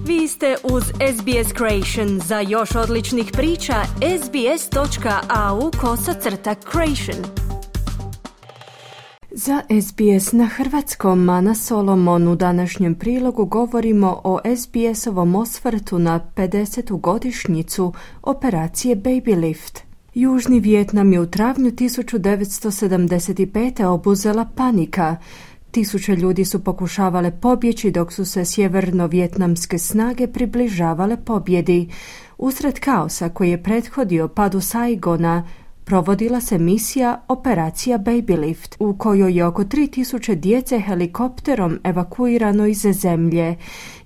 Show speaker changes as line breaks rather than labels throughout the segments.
Vi ste uz SBS Creation. Za još odličnih priča, sbs.au/creation. Za SBS na hrvatskom, Ana Solomon. U današnjem prilogu govorimo o SBS-ovom osvrtu na 50. godišnjicu operacije Baby Lift. Južni Vijetnam je u travnju 1975. obuzela panika. Tisuće ljudi su pokušavale pobjeći dok su se sjeverno-vjetnamske snage približavale pobjedi. Usred kaosa koji je prethodio padu Saigona, provodila se misija Operacija Baby Lift, u kojoj je oko 3000 djece helikopterom evakuirano iz zemlje.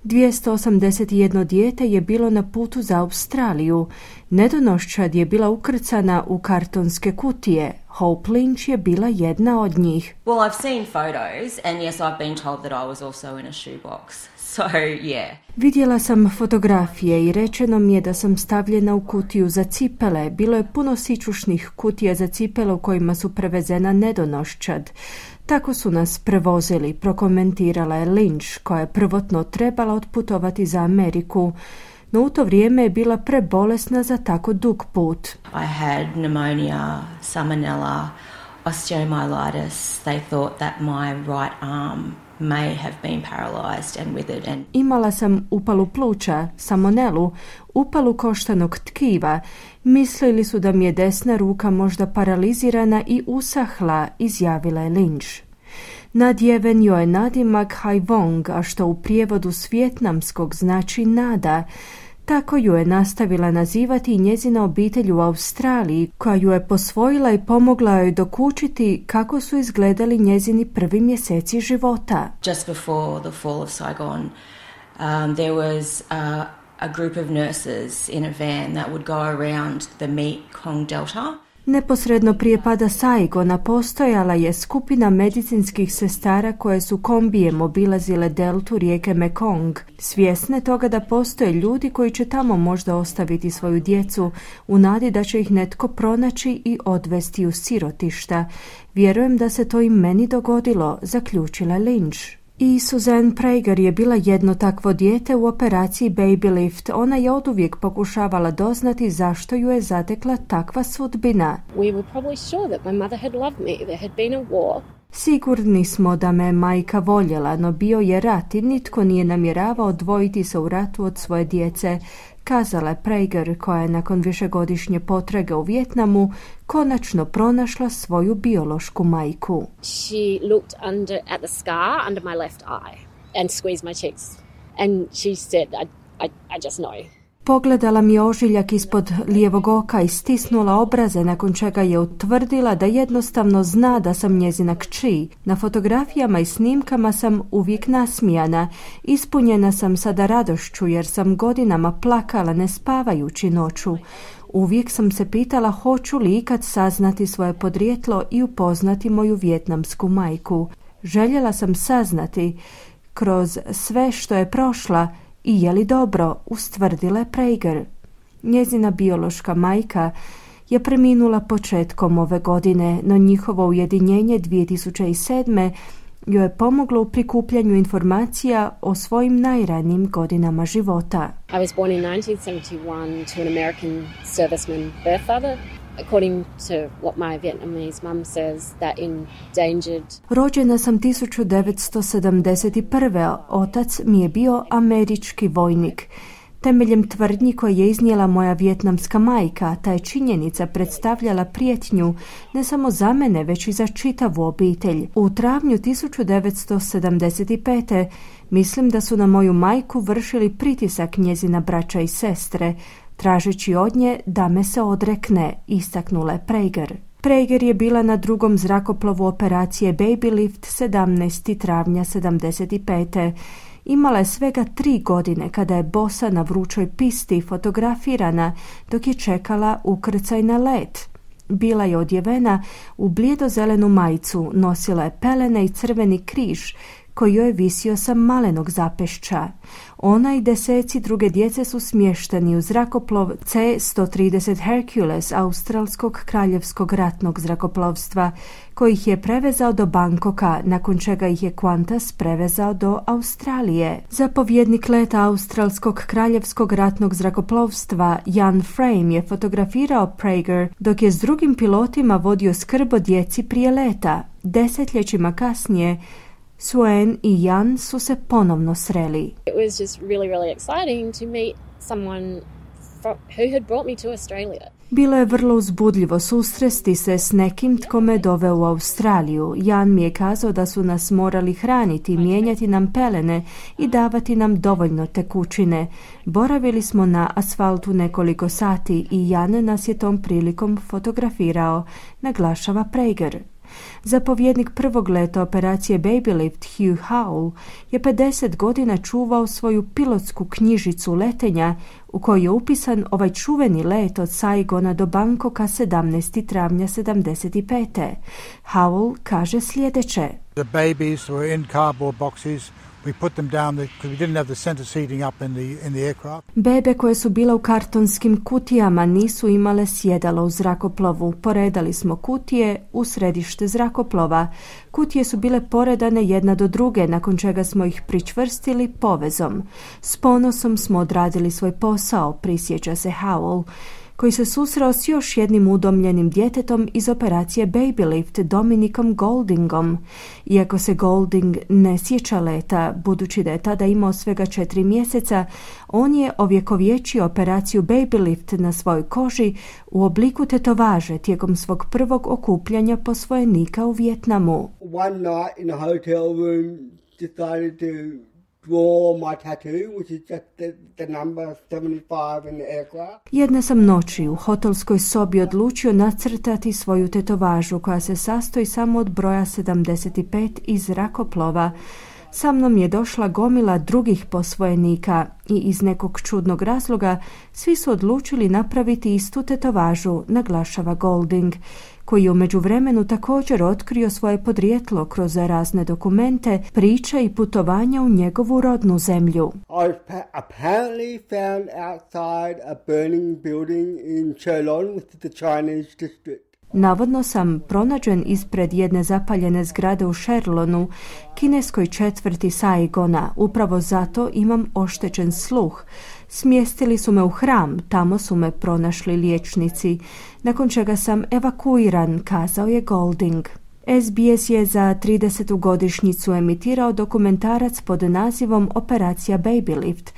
281 dijete je bilo na putu za Australiju. Nedonoščad je bila ukrcana u kartonske kutije. Hope Lynch je bila jedna od njih.
Well, I've seen photos and yes, I've been told that I was also in a shoebox. So, yeah.
Vidjela sam fotografije i rečeno mi je da sam stavljena u kutiju za cipele. Bilo je puno sićušnih kutija za cipele u kojima su prevezena nedonoščad. Tako su nas prevozili, prokomentirala je Lynch, koja je prvotno trebala otputovati za Ameriku. No u to vrijeme je bila prebolesna za tako dug put.
I had pneumonia, salmonella, osteomyelitis. They thought that my right arm may have been paralyzed and withered. And
imala sam upalu pluća, salmonelu, upalu koštanog tkiva. Mislili su da mi je desna ruka možda paralizirana i usahla, izjavila je Lynch. Nadjeven joj je nadimak Hai Vong, a što u prijevodu s vijetnamskog znači nada. Tako ju je nastavila nazivati i njezina obitelj u Australiji, koja ju je posvojila i pomogla joj dokučiti kako su izgledali njezini prvi mjeseci života.
Just before the fall of Saigon, there was a group of nurses in a van that would go around the Mekong Delta.
Neposredno prije pada Saigona postojala je skupina medicinskih sestara koje su kombijem obilazile deltu rijeke Mekong, svjesne toga da postoje ljudi koji će tamo možda ostaviti svoju djecu u nadi da će ih netko pronaći i odvesti u sirotišta. Vjerujem da se to i meni dogodilo, zaključila Lynch. I Suzanne Prager je bila jedno takvo dijete u operaciji Baby Lift. Ona je oduvijek pokušavala doznati zašto ju je zatekla takva sudbina.
We were probably sure that my mother had loved me. There had been a war.
Sigurni smo da me majka voljela, no bio je rat i nitko nije namjeravao odvojiti se u ratu od svoje djece, kazala je Prager, koja je nakon višegodišnje potrage u Vijetnamu konačno pronašla svoju biološku majku.
She looked at the scar under my left eye and squeezed my cheeks. And she said, I just know.
Pogledala mi ožiljak ispod lijevog oka i stisnula obraze, nakon čega je utvrdila da jednostavno zna da sam njezina kći. Na fotografijama i snimkama sam uvijek nasmijana. Ispunjena sam sada radošću jer sam godinama plakala ne spavajući noću. Uvijek sam se pitala hoću li ikad saznati svoje podrijetlo i upoznati moju vijetnamsku majku. Željela sam saznati kroz sve što je prošla i je li dobro, ustvrdila je Prager. Njezina biološka majka je preminula početkom ove godine, no njihovo ujedinjenje 2007. joj je pomoglo u prikupljanju informacija o svojim najranijim godinama života.
I was born in 1971 to an American serviceman birth father. According to what my Vietnamese mum says, that endangered.
Rođena sam 1971. Otac mi je bio američki vojnik. Temeljem tvrdnji koje je iznijela moja vijetnamska majka, ta je činjenica predstavljala prijetnju ne samo za mene, već i za čitavu obitelj. U travnju 1975. mislim da su na moju majku vršili pritisak njezina braća i sestre, tražeći od nje da me se odrekne, istaknula je Prager. Prager je bila na drugom zrakoplovu operacije Baby Lift 17. travnja 75. Imala je svega 3 godine kada je bosa na vrućoj pisti fotografirana dok je čekala ukrcaj na let. Bila je odjevena u blijedozelenu majicu, nosila je pelene i crveni križ, koji joj je visio sa malenog zapešća. Ona i deseci druge djece su smješteni u zrakoplov C-130 Hercules australskog kraljevskog ratnog zrakoplovstva, koji ih je prevezao do Bangkoka, nakon čega ih je Qantas prevezao do Australije. Zapovjednik leta australskog kraljevskog ratnog zrakoplovstva Jan Frame je fotografirao Prager dok je s drugim pilotima vodio skrb o djeci prije leta. Desetljećima kasnije Suen i Jan su se ponovno sreli.
It was just really exciting to meet someone who had brought me to Australia.
Bilo je vrlo uzbudljivo susresti se s nekim tko me doveo u Australiju. Jan mi je kazao da su nas morali hraniti, mijenjati nam pelene i davati nam dovoljno tekućine. Boravili smo na asfaltu nekoliko sati i Jan nas je tom prilikom fotografirao, naglašava Prager. Zapovjednik prvog leta operacije Babylift Hugh Howell je 50 godina čuvao svoju pilotsku knjižicu letenja u kojoj je upisan ovaj čuveni let od Saigona do Bangkoka 17. travnja 75. Howell kaže sljedeće.
The babies were in cardboard boxes. We put them down because we didn't have the center seating up in the aircraft.
Bebe koje su bile u kartonskim kutijama nisu imale sjedalo u zrakoplovu. Poredali smo kutije u središte zrakoplova. Kutije su bile poredane jedna do druge, nakon čega smo ih pričvrstili povezom. S ponosom smo odradili svoj posao, prisjeća se Howell, koji se susreo s još jednim udomljenim djetetom iz operacije Babylift, Dominikom Goldingom. Iako se Golding ne sjeća leta, budući da je tada imao svega 4 mjeseca, on je ovjekovječio operaciju Babylift na svojoj koži u obliku tetovaže tijekom svog prvog okupljanja posvojenika u Vijetnamu.
One night in a hotel room decided to draw my tattoo, which is just the number 75 in the aircraft.
Jedne sam noći u hotelskoj sobi odlučio nacrtati svoju tetovažu koja se sastoji samo od broja 75 iz zrakoplova. Sa mnom je došla gomila drugih posvojenika i iz nekog čudnog razloga svi su odlučili napraviti istu tetovažu, naglašava Golding, koji je u međuvremenu također otkrio svoje podrijetlo kroz razne dokumente, priče i putovanja u njegovu rodnu zemlju.
I was apparently found outside a burning building in Cholon, which is the Chinese district.
Navodno sam pronađen ispred jedne zapaljene zgrade u Sherlonu, kineskoj četvrti Saigona. Upravo zato imam oštećen sluh. Smjestili su me u hram, tamo su me pronašli liječnici, nakon čega sam evakuiran, kazao je Golding. SBS je za 30. godišnjicu emitirao dokumentarac pod nazivom Operacija Babylift,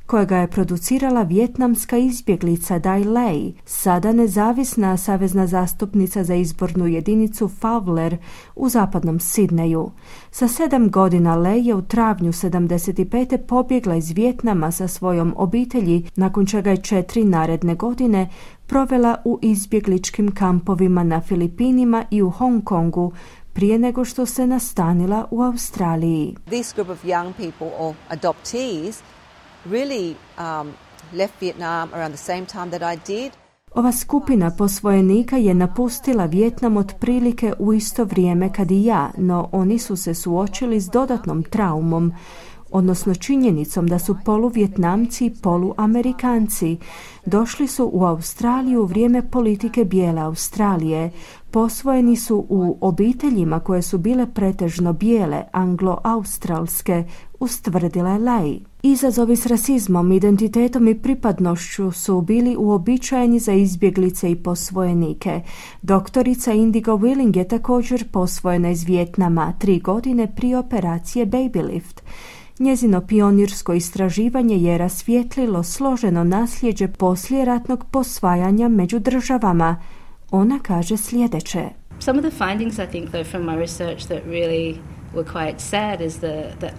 kojega je producirala vijetnamska izbjeglica Dai Lei, sada nezavisna savezna zastupnica za izbornu jedinicu Fowler u zapadnom Sidneju. Sa 7 godina Lei je u travnju 75. pobjegla iz Vijetnama sa svojom obitelji, nakon čega je 4 naredne godine provela u izbjegličkim kampovima na Filipinima i u Hong Kongu, prije nego što se nastanila u Australiji.
This group of young people or adoptees really left Vietnam around the same time that I did.
Ova skupina posvojenika je napustila Vijetnam otprilike u isto vrijeme kad i ja, no oni su se suočili s dodatnom traumom, odnosno činjenicom da su poluvjetnamci i poluamerikanci. Došli su u Australiju u vrijeme politike bijele Australije. Posvojeni su u obiteljima koje su bile pretežno bijele, anglo-australske, ustvrdila je Lei. Izazovi s rasizmom, identitetom i pripadnošću su bili uobičajeni za izbjeglice i posvojenike. Doktorica Indigo Willing je također posvojena iz Vijetnama 3 godine prije operacije Babylift. Njezino pionirsko istraživanje je rasvijetlilo složeno nasljeđe poslijeratnog posvajanja među državama. Ona kaže sljedeće.
Some of the findings I think though from my research that really were quite sad is the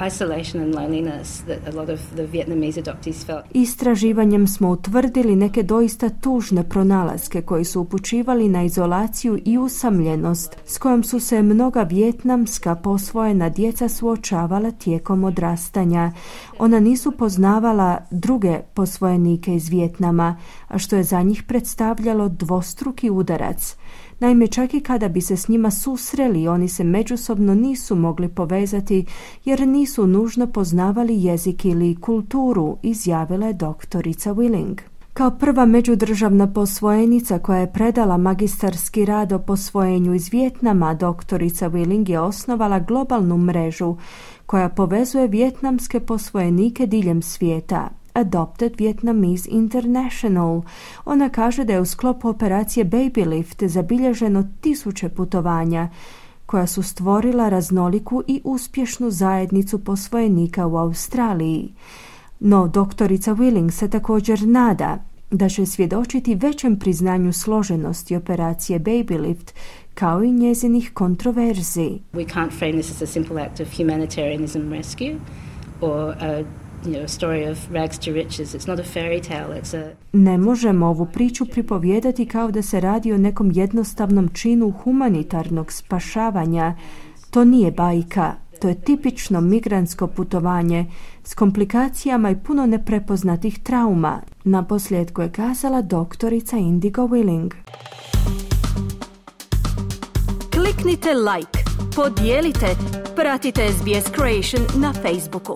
isolation and loneliness that a lot of the Vietnamese adoptees felt.
Istraživanjem smo utvrdili neke doista tužne pronalaske koji su upućivali na izolaciju i usamljenost s kojom su se mnoga vijetnamska posvojena djeca suočavala tijekom odrastanja. Ona nisu poznavala druge posvojenike iz Vijetnama, a što je za njih predstavljalo dvostruki udarac. Naime, čak i kada bi se s njima susreli, oni se međusobno nisu mogli povezati jer nisu nužno poznavali jezik ili kulturu, izjavila je doktorica Willing. Kao prva međudržavna posvojenica koja je predala magistarski rad o posvojenju iz Vijetnama, doktorica Willing je osnovala globalnu mrežu koja povezuje vijetnamske posvojenike diljem svijeta. Adopted Vietnamese International. Ona kaže da je u sklopu operacije Baby Lift zabilježeno 1000 putovanja koja su stvorila raznoliku i uspješnu zajednicu posvojenika u Australiji. No, doktorica Willing se također nada da će svjedočiti većem priznanju složenosti operacije Baby Lift kao i njezinih kontroverzi.
We can't frame this as a simple act of humanitarianism rescue or a story of rags to riches. It's not a fairy tale, it's a...
Ne možemo ovu priču pripovijedati kao da se radi o nekom jednostavnom činu humanitarnog spašavanja. To nije bajka. To je tipično migrantsko putovanje s komplikacijama i puno neprepoznatih trauma, naposljetku je kazala doktorica Indigo Willing.
Kliknite like, podijelite, pratite SBS Creation na Facebooku.